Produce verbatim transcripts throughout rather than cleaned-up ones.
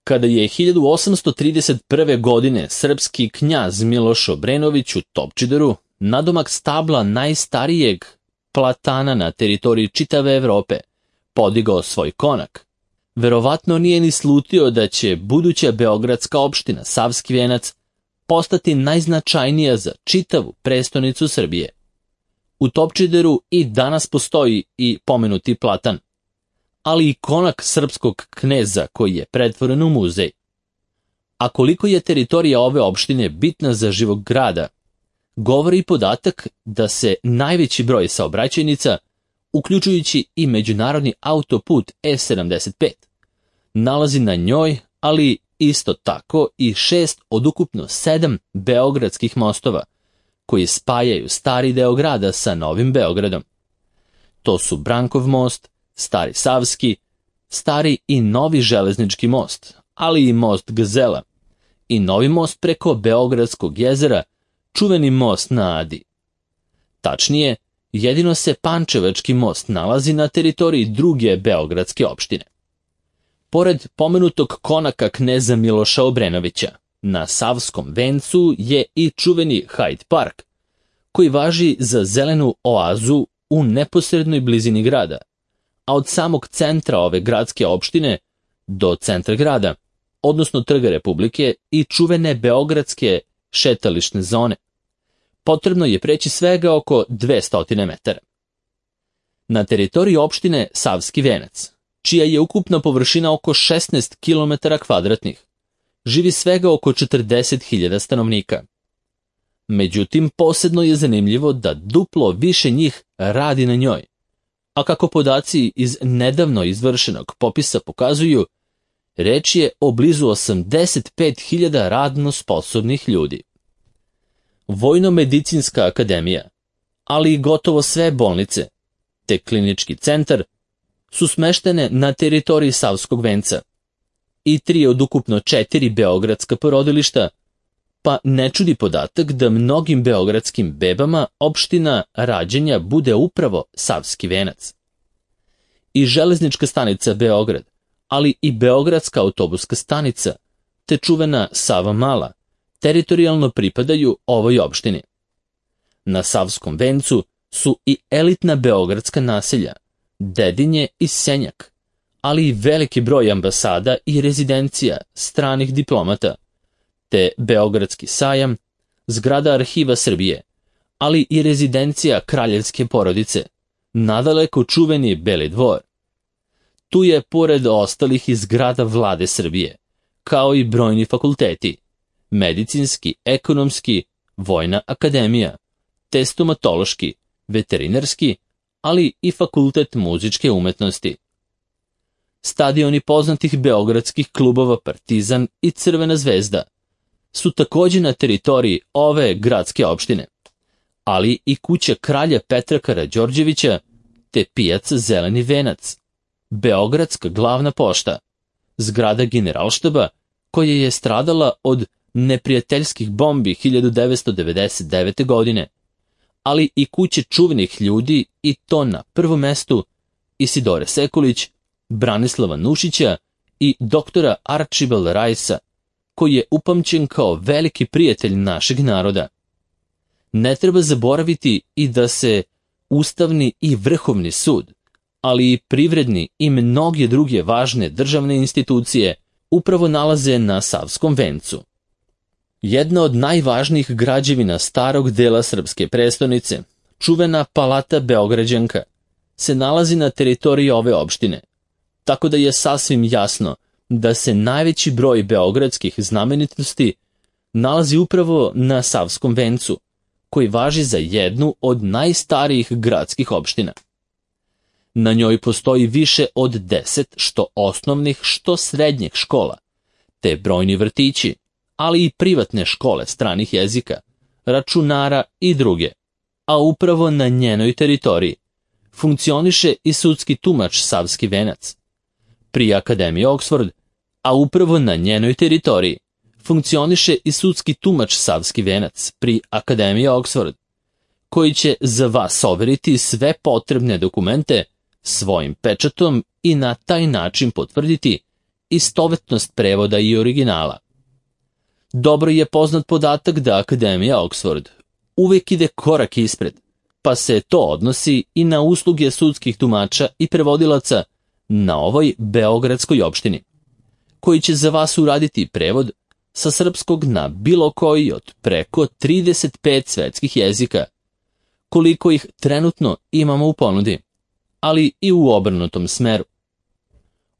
Kada je hiljadu osamsto trideset prve. godine srpski knjaz Miloš Obrenović u Topčideru, nadomak stabla najstarijeg platana na teritoriji čitave Evrope, podigao svoj konak, verovatno nije ni slutio da će buduća beogradska opština Savski Venac postati najznačajnija za čitavu prestonicu Srbije. U Topčideru i danas postoji i pomenuti platan, ali i konak srpskog kneza koji je pretvoren u muzej. A koliko je teritorija ove opštine bitna za živog grada, govori i podatak da se najveći broj saobraćajnica, uključujući i međunarodni autoput E sedamdeset pet, nalazi na njoj, ali isto tako i šest od ukupno sedam beogradskih mostova, koji spajaju stari deo grada sa Novim Beogradom. To su Brankov most, Stari Savski, Stari i Novi železnički most, ali i most Gazela, i novi most preko Beogradskog jezera, čuveni most na Adi. Tačnije, jedino se Pančevački most nalazi na teritoriji druge beogradske opštine. Pored pomenutog konaka kneza Miloša Obrenovića, na Savskom vencu je i čuveni Hyde Park, koji važi za zelenu oazu u neposrednoj blizini grada, a od samog centra ove gradske opštine do centra grada, odnosno Trga Republike i čuvene beogradske šetališne zone, potrebno je preći svega oko dvesta metara. Na teritoriji opštine Savski Venac, čija je ukupna površina oko šesnaest kilometara kvadratnih, živi svega oko četrdeset hiljada stanovnika. Međutim, posebno je zanimljivo da duplo više njih radi na njoj, a kako podaci iz nedavno izvršenog popisa pokazuju, reč je o blizu osamdeset pet hiljada radno sposobnih ljudi. Vojno-medicinska akademija, ali i gotovo sve bolnice, te klinički centar, su smeštene na teritoriji Savskog venca i tri od ukupno četiri beogradska porodilišta, pa ne čudi podatak da mnogim beogradskim bebama opština rađanja bude upravo Savski Venac. I železnička stanica Beograd, ali i beogradska autobuska stanica, te čuvena Sava Mala, teritorijalno pripadaju ovoj opštini. Na Savskom vencu su i elitna beogradska naselja, Dedinje i Senjak, ali i veliki broj ambasada i rezidencija stranih diplomata, te Beogradski sajam, zgrada Arhiva Srbije, ali i rezidencija kraljevske porodice, nadaleko čuveni Beli dvor. Tu je, pored ostalih, i zgrada Vlade Srbije, kao i brojni fakulteti, medicinski, ekonomski, vojna akademija, te stomatološki, veterinarski, ali i fakultet muzičke umetnosti. Stadioni poznatih beogradskih klubova Partizan i Crvena zvezda su također na teritoriji ove gradske opštine, ali i kuća kralja Petra Karađorđevića te pijaca Zeleni venac, beogradska glavna pošta, zgrada Generalštaba koja je stradala od neprijateljskih bombi hiljadu devetsto devedeset devete. godine, ali i kuće čuvenih ljudi, i to na prvom mestu Isidore Sekulić, Branislava Nušića i doktora Archibald Rajsa, koji je upamćen kao veliki prijatelj našeg naroda. Ne treba zaboraviti i da se Ustavni i Vrhovni sud, ali i privredni i mnoge druge važne državne institucije upravo nalaze na Savskom vencu. Jedna od najvažnijih građevina starog dela srpske prestonice, čuvena Palata Beograđanka, se nalazi na teritoriji ove opštine, tako da je sasvim jasno da se najveći broj beogradskih znamenitosti nalazi upravo na Savskom vencu, koji važi za jednu od najstarijih gradskih opština. Na njoj postoji više od deset što osnovnih, što srednjih škola, te brojni vrtići, ali i privatne škole stranih jezika, računara i druge, a upravo na njenoj teritoriji funkcioniše i sudski tumač Savski Venac, pri Akademiji Oxford, a upravo na njenoj teritoriji funkcioniše i sudski tumač Savski Venac pri Akademiji Oxford, koji će za vas overiti sve potrebne dokumente svojim pečatom i na taj način potvrditi istovetnost prevoda i originala. Dobro je poznat podatak da Akademija Oxford uvijek ide korak ispred, pa se to odnosi i na usluge sudskih tumača i prevodilaca na ovoj beogradskoj opštini, koji će za vas uraditi prevod sa srpskog na bilo koji od preko trideset pet svetskih jezika, koliko ih trenutno imamo u ponudi, ali i u obrnutom smeru.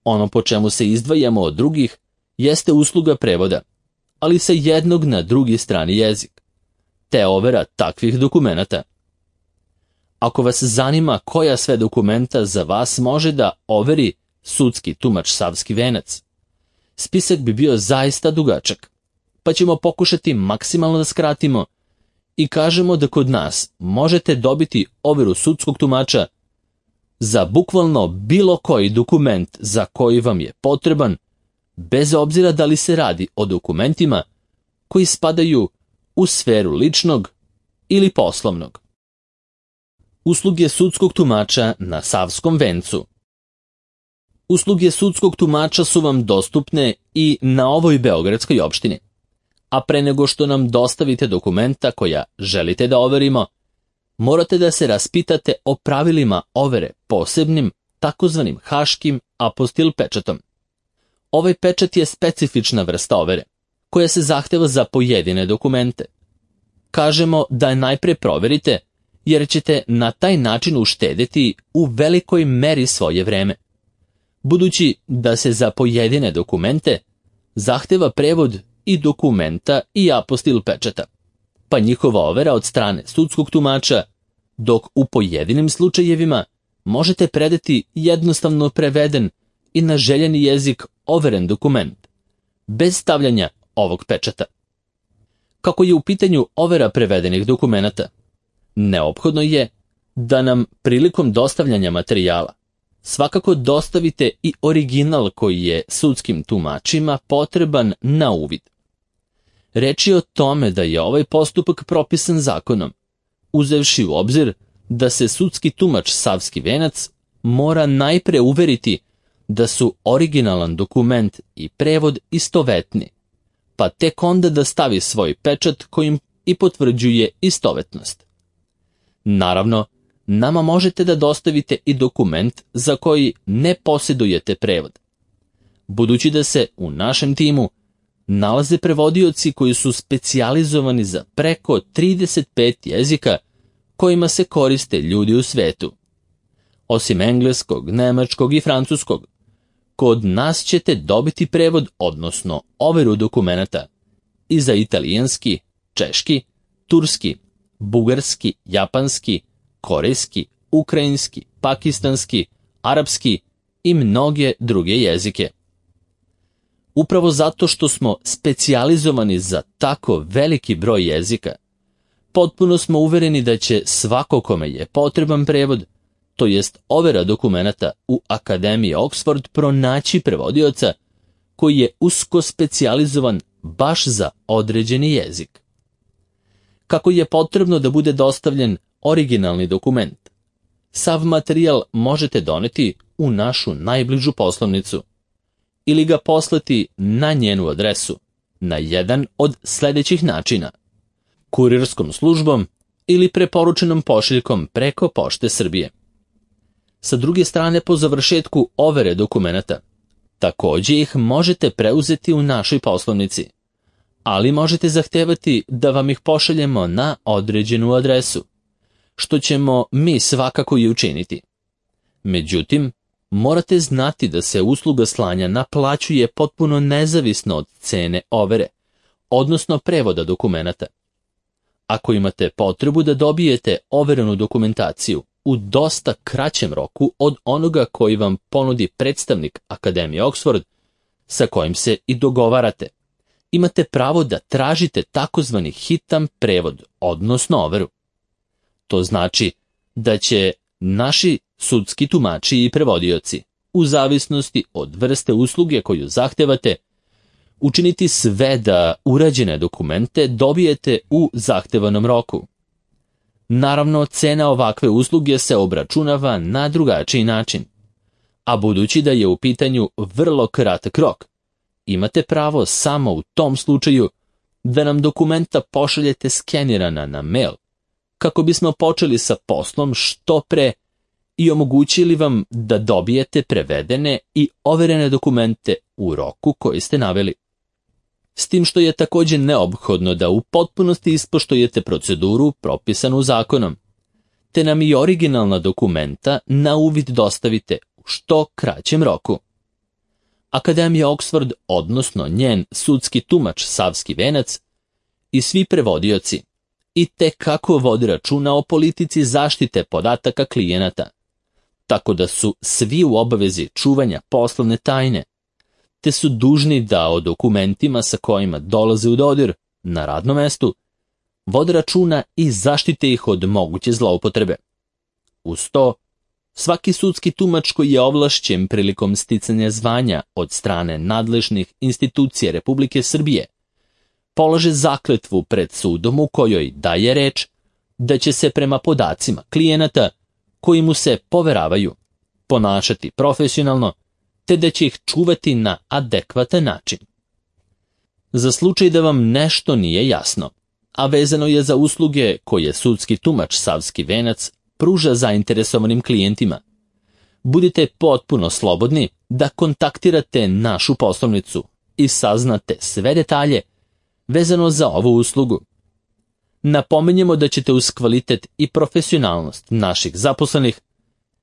Ono po čemu se izdvajamo od drugih jeste usluga prevoda, ali sa jednog na drugi strani jezik, te overa takvih dokumenata. Ako vas zanima koja sve dokumenta za vas može da overi sudski tumač Savski venac, spisak bi bio zaista dugačak, pa ćemo pokušati maksimalno da skratimo i kažemo da kod nas možete dobiti overu sudskog tumača za bukvalno bilo koji dokument za koji vam je potreban, bez obzira da li se radi o dokumentima koji spadaju u sferu ličnog ili poslovnog. Usluge sudskog tumača na Savskom vencu. Usluge sudskog tumača su vam dostupne i na ovoj beogradskoj opštini, a pre nego što nam dostavite dokumenta koja želite da overimo, morate da se raspitate o pravilima overe posebnim, takozvanim haškim apostil pečatom. Ovaj pečat je specifična vrsta overe, koja se zahteva za pojedine dokumente. Kažemo da je najpre proverite, jer ćete na taj način uštedeti u velikoj meri svoje vreme, budući da se za pojedine dokumente zahteva prevod i dokumenta i apostil pečata, pa njihova overa od strane sudskog tumača, dok u pojedinim slučajevima možete predati jednostavno preveden i na željeni jezik overen dokument, bez stavljanja ovog pečata. Kako je u pitanju overa prevedenih dokumenata, neophodno je da nam prilikom dostavljanja materijala svakako dostavite i original koji je sudskim tumačima potreban na uvid. Reč je o tome da je ovaj postupak propisan zakonom, uzevši u obzir da se sudski tumač Savski venac mora najpre uveriti da su originalan dokument i prevod istovetni, pa tek onda da stavi svoj pečat kojim i potvrđuje istovetnost. Naravno, nama možete da dostavite i dokument za koji ne posjedujete prevod, budući da se u našem timu nalaze prevodioci koji su specijalizovani za preko trideset pet jezika kojima se koriste ljudi u svetu. Osim engleskog, nemačkog i francuskog, kod nas ćete dobiti prevod, odnosno overu dokumenata i za italijanski, češki, turski, bugarski, japanski, korejski, ukrajinski, pakistanski, arapski i mnoge druge jezike. Upravo zato što smo specijalizovani za tako veliki broj jezika, potpuno smo uvereni da će svako kome je potreban prevod, to jest overa dokumenata u Akademiji Oxford, pronaći prevodioca koji je usko specijalizovan baš za određeni jezik. Kako je potrebno da bude dostavljen originalni dokument, sav materijal možete doneti u našu najbližu poslovnicu ili ga poslati na njenu adresu na jedan od sljedećih načina: kurirskom službom ili preporučenom pošiljkom preko Pošte Srbije. Sa druge strane, po završetku overe dokumenata, također ih možete preuzeti u našoj poslovnici, ali možete zahtevati da vam ih pošaljemo na određenu adresu, što ćemo mi svakako i učiniti. Međutim, morate znati da se usluga slanja naplaćuje potpuno nezavisno od cene overe, odnosno prevoda dokumenata. Ako imate potrebu da dobijete overenu dokumentaciju u dosta kraćem roku od onoga koji vam ponudi predstavnik Akademije Oxford, sa kojim se i dogovarate, imate pravo da tražite takozvani hitan prevod, odnosno overu. To znači da će naši sudski tumači i prevodioci, u zavisnosti od vrste usluge koju zahtevate, učiniti sve da urađene dokumente dobijete u zahtevanom roku. Naravno, cena ovakve usluge se obračunava na drugačiji način. a budući da je u pitanju vrlo kratak rok, imate pravo samo u tom slučaju da nam dokumenta pošaljete skenirana na mail, kako bismo počeli sa poslom što pre i omogućili vam da dobijete prevedene i overene dokumente u roku koji ste naveli. S tim što je također neophodno da u potpunosti ispoštujete proceduru propisanu zakonom, te nam i originalna dokumenta na uvid dostavite u što kraćem roku. Akademija Oxford, odnosno njen sudski tumač Savski venac i svi prevodioci i te kako vodi računa o politici zaštite podataka klijenata, tako da su svi u obavezi čuvanja poslovne tajne, te su dužni da o dokumentima sa kojima dolaze u dodir na radnom mestu vode računa i zaštite ih od moguće zloupotrebe. Uz to, svaki sudski tumač koji je ovlašćen prilikom sticanja zvanja od strane nadležnih institucija Republike Srbije polaže zakletvu pred sudom u kojoj daje reč da će se prema podacima klijenata koji mu se poveravaju ponašati profesionalno, te da će ih čuvati na adekvatan način. Za slučaj da vam nešto nije jasno, a vezano je za usluge koje sudski tumač Savski venac pruža zainteresovanim klijentima, budite potpuno slobodni da kontaktirate našu poslovnicu i saznate sve detalje vezano za ovu uslugu. Napominjemo da ćete uz kvalitet i profesionalnost naših zaposlenih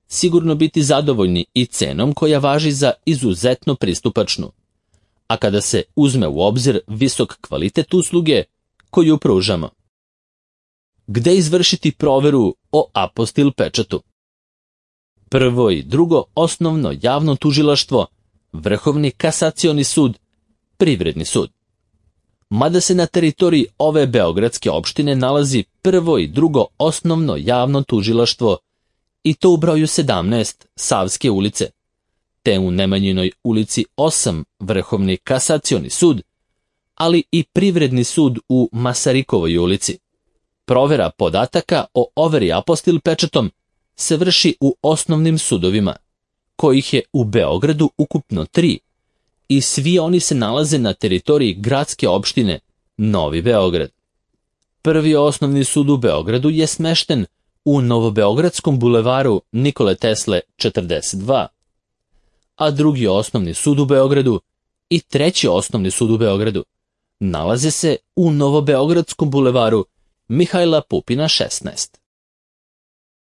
sigurno biti zadovoljni i cenom koja važi za izuzetno pristupačnu, a kada se uzme u obzir visok kvalitet usluge koju pružamo. Gde izvršiti proveru o apostil pečatu? Prvo i drugo osnovno javno tužilaštvo, Vrhovni kasacioni sud, Privredni sud. Mada se na teritoriji ove beogradske opštine nalazi prvo i drugo osnovno javno tužilaštvo, i to u broju sedamnaest Savske ulice, te u Nemanjinoj ulici osam Vrhovni kasacioni sud, ali i Privredni sud u Masarikovoj ulici. Provera podataka o overi apostil pečatom se vrši u osnovnim sudovima, kojih je u Beogradu ukupno tri, i svi oni se nalaze na teritoriji gradske opštine Novi Beograd. Prvi osnovni sud u Beogradu je smešten u Novobeogradskom bulevaru Nikole Tesle četrdeset dva, a drugi osnovni sud u Beogradu i treći osnovni sud u Beogradu nalaze se u Novobeogradskom bulevaru Mihajla Pupina šesnaest.